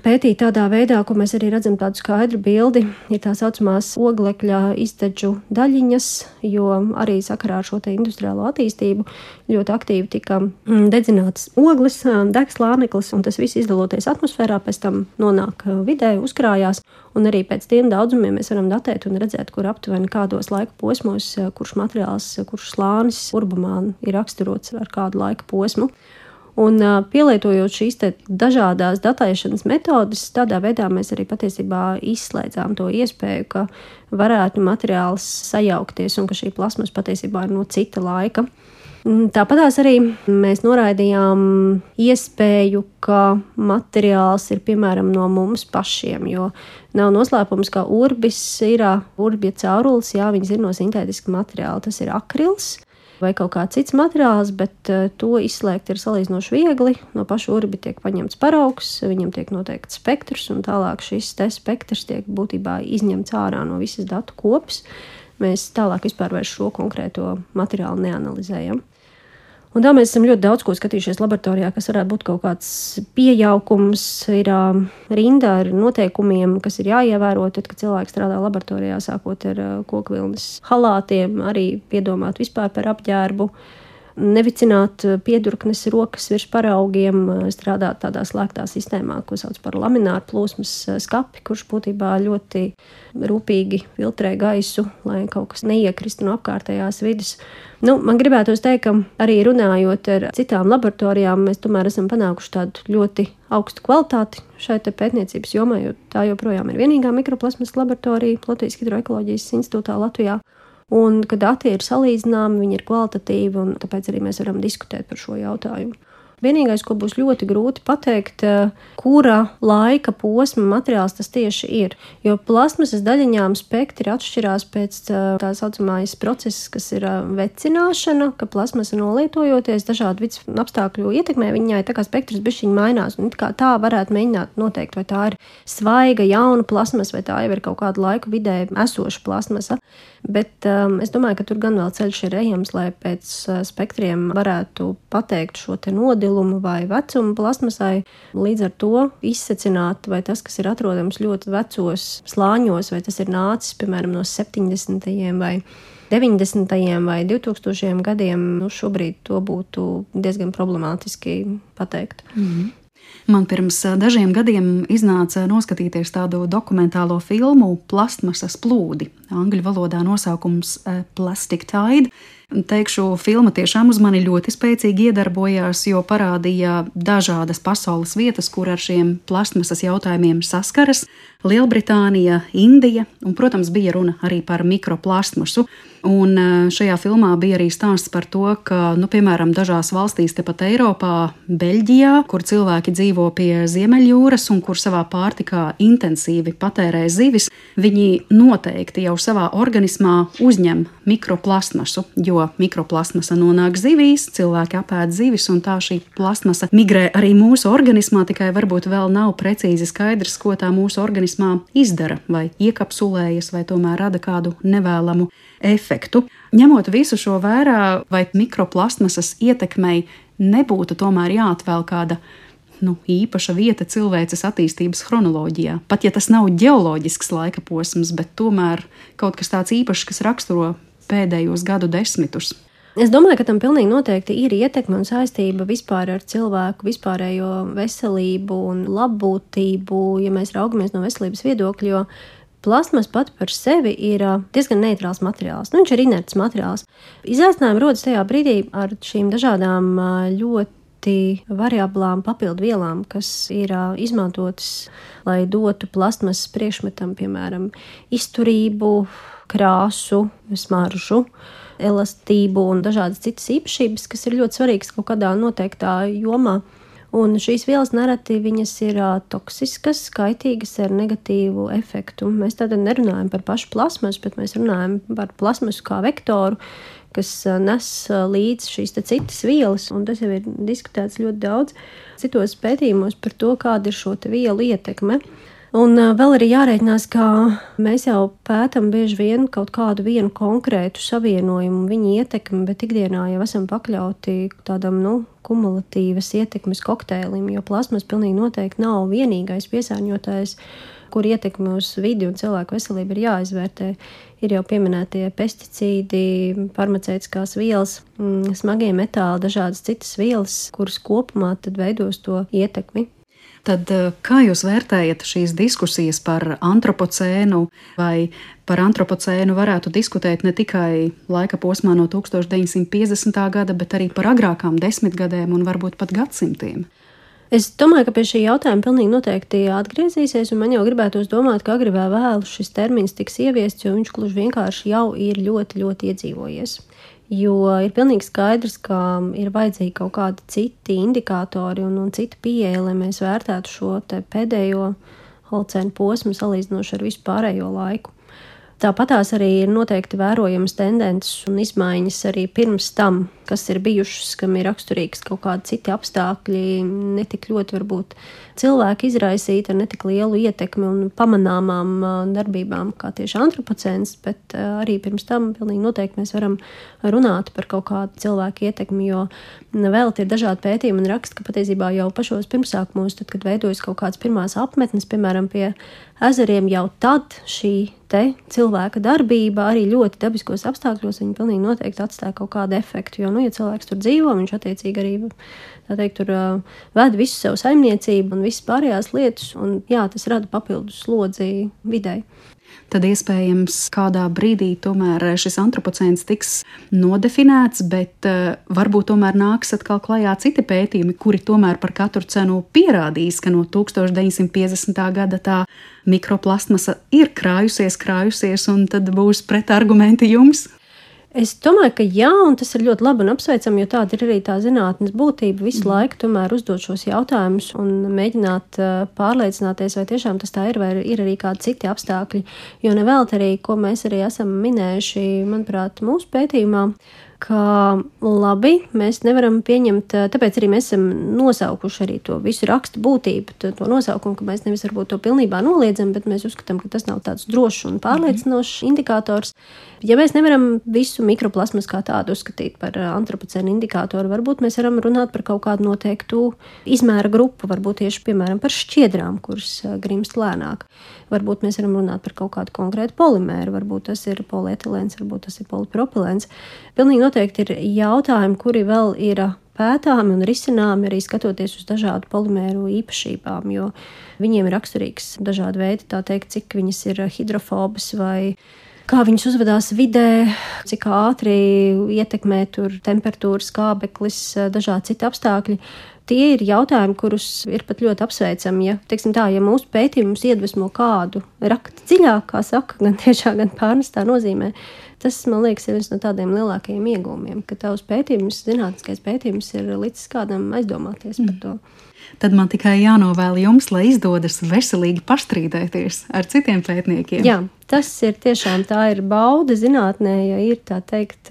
pētīt tādā veidā, ko mēs arī redzam tādu skaidru bildi, ir tā saucamās oglekļa iztedžu daļiņas, jo arī sakarā ar šo te industriālo attīstību ļoti aktīvi tika dedzinātas ogles, deg slāneklis, un tas viss izdaloties atmosfērā, pēc tam nonāk vidē, uzkrājās, un arī pēc tiem daudzumiem mēs varam datēt un redzēt, kur aptuveni kādos laika posmos, kurš materiāls, kurš slānis urbumā ir raksturots ar kādu laika posmu. Un pielietojot šīs te dažādās datēšanas metodes, tādā veidā mēs arī patiesībā izslēdzām to iespēju, ka varētu materiāls sajaukties un ka šī plasmas patiesībā ir no cita laika. Tāpatās arī mēs noraidījām iespēju, ka materiāls ir piemēram no mums pašiem, jo nav noslēpums, ka urbis ir urbja caurulis, jā, viņas ir no sintētiska materiāla, tas ir akrils vai kaut kāds cits materiāls, bet to izslēgt ir salīdzinoši viegli. No paša urbi tiek paņemts paraugs, viņam tiek noteikts spektrs, un tālāk šis te spektrs tiek būtībā izņemts ārā no visas datu kopas. Mēs tālāk vispār vairs šo konkrēto materiālu neanalizējam. Un tā mēs esam ļoti daudz ko skatījušies laboratorijā, kas varētu būt kaut kāds piejaukums, ir rinda ar noteikumiem, kas ir jāievēro, tad, kad cilvēks strādā laboratorijā, sākot ar kokvilnas halātiem, arī piedomāt vispār par apģērbu, nevicināt piedurknes rokas virs paraugiem, strādāt tādā slēgtā sistēmā, ko sauc par lamināru plūsmas skapi, kurš būtībā ļoti rūpīgi filtrē gaisu, lai kaut kas neiekristu no apkārtējās vidas. Nu, man gribētos teikt, ka arī runājot ar citām laboratorijām, mēs tomēr esam panākuši tādu ļoti augstu kvalitāti šai te pētniecības jomā, jo tā joprojām ir vienīgā mikroplasmas laboratorija Latvijas Hidroekoloģijas institūtā Latvijā. Un, kad dati ir salīdzināmi, viņi ir kvalitatīvi, un tāpēc arī mēs varam diskutēt par šo jautājumu. Vienīgais, ko būs ļoti grūti pateikt, kura laika posma materiāls tas tieši ir. Jo plasmasas daļiņām spektri atšķirās pēc tā saucamais process, kas ir vecināšana, ka plasmasa nolietojoties dažādu vidas apstākļu ietekmē, viņai tā kā spektrs bišķiņ mainās. Un kā tā varētu mēģināt noteikt, vai tā ir svaiga, jauna plasmasa, vai tā jau ir kaut kādu laiku vidē esoša plasmasa. Bet um, es domāju, ka tur gan vēl ceļš ir ejams, lai pēc uh, spektriem varētu pateikt šo te nodilumu vai vecumu plasmasai. Līdz ar to izsecināt, vai tas, kas ir atrodams ļoti vecos slāņos, vai tas ir nācis, piemēram, no septiņdesmitajiem vai deviņdesmitajiem vai divtūkstošajiem gadiem, nu šobrīd to būtu diezgan problemātiski pateikt. Mm-hmm. Man pirms dažiem gadiem iznāca noskatīties tādu dokumentālo filmu Plastmasas plūdi. Angļu valodā nosaukums Plastic Tide. Teikšu, filma tiešām uz mani ļoti spēcīgi iedarbojās, jo parādīja dažādas pasaules vietas, kur ar šiem plastmasas jautājumiem saskaras. Lielbritānija, Indija un, protams, bija runa arī par mikroplastmasu. Un šajā filmā bija arī stāsts par to, ka, nu, piemēram, dažās valstīs tepat Eiropā, Beļģijā, kur cilvēki dzīvo pie Ziemeļjūras un kur savā pārtikā intensīvi patērē zivis, viņi noteikti jau savā organismā uzņem mikroplastmasu, jo mikroplastmasa nonāk zivīs, cilvēki apēd zivis, un tā šī plastmasa migrē arī mūsu organismā, tikai varbūt vēl nav precīzi skaidrs, ko tā mūsu organismā izdara, vai iekapsulējas, vai tomēr rada kādu nevēlamu efektu. Ņemot visu šo vērā, vai mikroplastmasas ietekmei nebūtu tomēr jāatvēl kāda nu, īpaša vieta cilvēces attīstības chronoloģijā. Pat ja tas nav ģeoloģisks laika posms, bet tomēr kaut kas tāds īpašs, kas raksturo pēdējos gadu desmitus. Es domāju, ka tam pilnīgi noteikti ir ietekme un saistība vispār ar cilvēku vispārējo veselību un labbūtību, ja mēs raugamies no veselības viedokļa, jo plastmas pat par sevi ir diezgan neitrāls materiāls. Nu, viņš ir inerts materiāls. Izaicinājumi rodas tajā brīdī ar šīm dažādām ļoti variablām papildu vielām, kas ir izmantotas, lai dotu plastmasas priekšmetam, piemēram, izturību, krāsu, smaržu, elastību un dažādas citas īpašības, kas ir ļoti svarīgas kaut kādā noteiktā jomā. Un šīs vielas nereti viņas ir toksiskas, kaitīgas ar negatīvu efektu. Mēs tātad nerunājam par pašu plasmasu, bet mēs runājam par plasmasu kā vektoru, kas nes līdz šīs te citas vielas, un tas jau ir diskutēts ļoti daudz citos pētījumos par to, kāda ir šo te vielu ietekme. Un vēl arī jārēķinās, ka mēs jau pētam bieži vien kaut kādu vienu konkrētu savienojumu, viņa ietekmi, bet ikdienā jau esam pakļauti tādam, nu, kumulatīvas ietekmes kokteilim, jo plasmas pilnīgi noteikti nav vienīgais piesārņotājs, kur ietekmi uz vidi un cilvēku veselību ir jāizvērtē. Ir jau pieminētie pesticīdi, farmaceitiskās vielas, smagie metāli, dažādas citas vielas, kuras kopumā tad veidos to ietekmi. Tad kā jūs vērtējat šīs diskusijas par antropocēnu, vai par antropocēnu varētu diskutēt ne tikai laika posmā no tūkstoš deviņsimt piecdesmitā gada, bet arī par agrākām desmitgadēm un varbūt pat gadsimtiem? Es domāju, ka pie šī jautājuma pilnīgi noteikti atgriezīsies, un man jau gribētos domāt, ka agri vai vēlu šis termins tiks ieviests, jo viņš gluži vienkārši jau ir ļoti, ļoti iedzīvojies. Jo ir pilnīgi skaidrs, ka ir vajadzīgi kaut kādi citi indikātori un, un cita pieeja, lai mēs vērtētu šo te pēdējo holocēnu posmu salīdzinoši ar visu pārējo laiku. Tāpatās arī ir noteikti vērojamas tendences un izmaiņas arī pirms tam, kas ir bijušas, kam ir raksturīgs kaut kādi citi apstākļi, netik ļoti varbūt cilvēki izraisīti ar netik lielu ietekmi un pamanāmām darbībām kā tieši antropocēns, bet arī pirms tam pilnīgi noteikti mēs varam runāt par kaut kādu cilvēku ietekmi, jo vēl ir dažādi pētījumi un raksti, ka patiesībā jau pašos pirmsākumos, tad, kad veidojas kaut kādas pirmās apmetnes, piemēram, pie ezeriem, jau tad šī te cilvēka darbība arī ļoti dabiskos apstākļos, viņi pilnīgi noteikti atstāja kaut kādu efektu, jo, nu, ja cilvēks tur dzīvo, viņš attiecīgi arī, tā teikt, tur uh, ved visu savu saimniecību un visas pārējās lietas, un jā, tas rada papildus slodzi videi. Tad iespējams kādā brīdī tomēr šis antropocēns tiks nodefinēts, bet uh, varbūt tomēr nāks atkal klajā citi pētījumi, kuri tomēr par katru cenu pierādīs, ka no tūkstoš deviņsimt piecdesmitā gada tā mikroplastmasa ir krājusies, krājusies, un tad būs pretargumenti jums. Es domāju, ka jā, un tas ir ļoti labi un apsveicami, jo tāda ir arī tā zinātnes būtība visu mm. laiku tomēr uzdot šos jautājumus un mēģināt uh, pārliecināties, vai tiešām tas tā ir, vai ir arī kādi citi apstākļi. Jo nevēlt arī, ko mēs arī esam minējuši, manuprāt, mūsu pētījumā, ka labi, mēs nevaram pieņemt, tāpēc arī mēs esam nosaukuši arī to visu rakstu būtību, to, to nosaukumu, ka mēs nevis varbūt to pilnībā noliedzam, bet mēs uzskatām, ka tas nav tāds drošs un pārliecinošs mm. indikators. Ja mēs nevaram visu mikroplasmas kā tādu uzskatīt par antropocēnu indikātoru, varbūt mēs varam runāt par kaut kādu noteiktu izmēra grupu, varbūt tieši, piemēram, par šķiedrām, kuras grimst lēnāk. Varbūt mēs varam runāt par kaut kādu konkrētu polimēru, varbūt tas ir polietilēns, varbūt tas ir polipropilēns. Pilnīgi noteikti ir jautājumi, kuri vēl ir pētāmi un risināmi arī skatoties uz dažādu polimēru īpašībām, jo viņiem ir raksturīgs dažādi veidi, tā teikt, cik viņas ir hidrofobas vai kā viņas uzvedās vidē, cik ātri ietekmē tur temperatūras, skābeklis, dažādi citi apstākļi. Tie ir jautājumi, kurus ir pat ļoti apsveicami. Ja, teiksim tā, ja mūsu pētījums iedvesmo kādu rakt dziļāk, kā saka, gan tiešā, gan pārnestā nozīmē, tas, man liekas, ir viens no tādiem lielākajiem iegūmiem, ka tavs pētījums, zinātniskais pētījums ir līdz kādam aizdomāties par to. Tad man tikai jānovēl jums, lai izdodas veselīgi pastrīdēties ar citiem pētniekiem. Jā, tas ir tiešām tā ir bauda zinātnē, ja ir tā teikt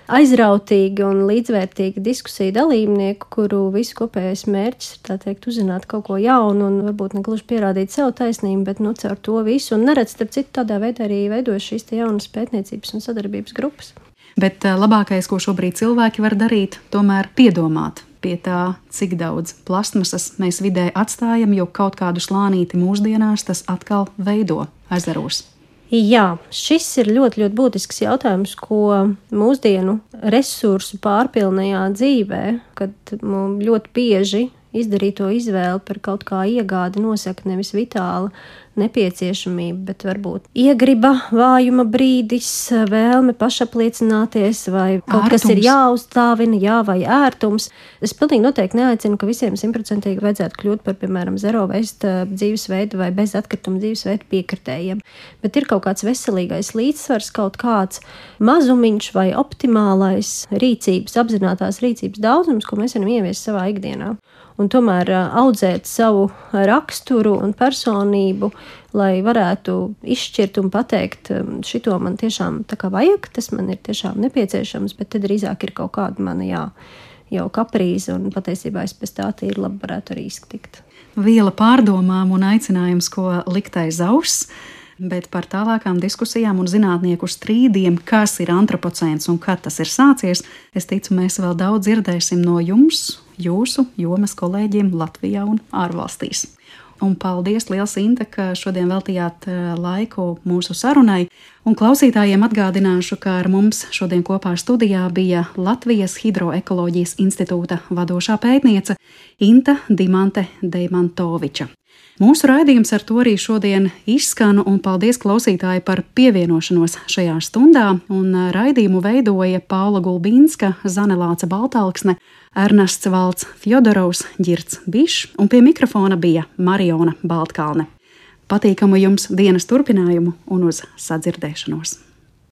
aizrautīgi un līdzvērtīgi diskusiju dalībnieku, kuru visu kopējais mērķis ir tā teikt uzzināt kaut ko jaunu un varbūt negluži pierādīt sev taisnību, bet nu caur to visu un neredz, starp citu, tādā veidā arī veidojas šīs te jaunas pētniecības un sadarbības grupas. Bet labākais, ko šobrīd cilvēki var darīt, tomēr piedomāt pie tā, cik daudz plastmasas mēs vidē atstājam, jo kaut kādu slānīti mūsdienās tas atkal veido ezeros. Jā, šis ir ļoti, ļoti būtisks jautājums, ko mūsdienu resursu pārpilnajā dzīvē, kad ļoti bieži izdarīto izvēli par kaut kā iegādi nosaka nevis vitāla nepieciešamība, bet varbūt iegriba, vājuma brīdis, vēlme pašapliecināties vai kaut ērtums. Kas ir jāuzstāvina, jā, vai ērtums. Es pilnīgi noteikti neaicinu, ka visiem simtprocentīgi vajadzētu kļūt par, piemēram, zero waste dzīvesveidu vai bez atkrituma dzīvesveidu piekritējiem. Bet ir kaut kāds veselīgais līdzsvars, kaut kāds mazumiņš vai optimālais rīcības, apzinātās rīcības daudzums, ko mēs varam ieviest savā ikdienā. Un tomēr audzēt savu raksturu un personību, lai varētu izšķirt un pateikt, šito man tiešām tā kā vajag, tas man ir tiešām nepieciešams, bet tad drīzāk ir kaut kāda mana jā, jau kaprīze, un patiesībā es pēc tā tīri labi varētu arī iztikt. Viela pārdomām un aicinājums, ko likt aiz auss, bet par tālākām diskusijām un zinātnieku strīdiem, kas ir antropocēns un kad tas ir sācies, es ticu, mēs vēl daudz dzirdēsim no jums, jūsu jomas kolēģiem Latvijā un ārvalstīs. Un paldies liels, Inte, ka šodien veltījāt laiku mūsu sarunai. Un klausītājiem atgādināšu, ka ar mums šodien kopā studijā bija Latvijas Hidroekoloģijas institūta vadošā pētniece Inta Dimante Deimantoviča. Mūsu raidījums ar to arī šodien izskan, un paldies klausītāji par pievienošanos šajā stundā. Un raidījumu veidoja Paula Gulbīnska, Zane Lāce Baltalksne, Ernests Valds Fjodorovs, Ģirds Bišs, un pie mikrofona bija Mariona Baltkalne. Patīkamu jums dienas turpinājumu un uz sadzirdēšanos!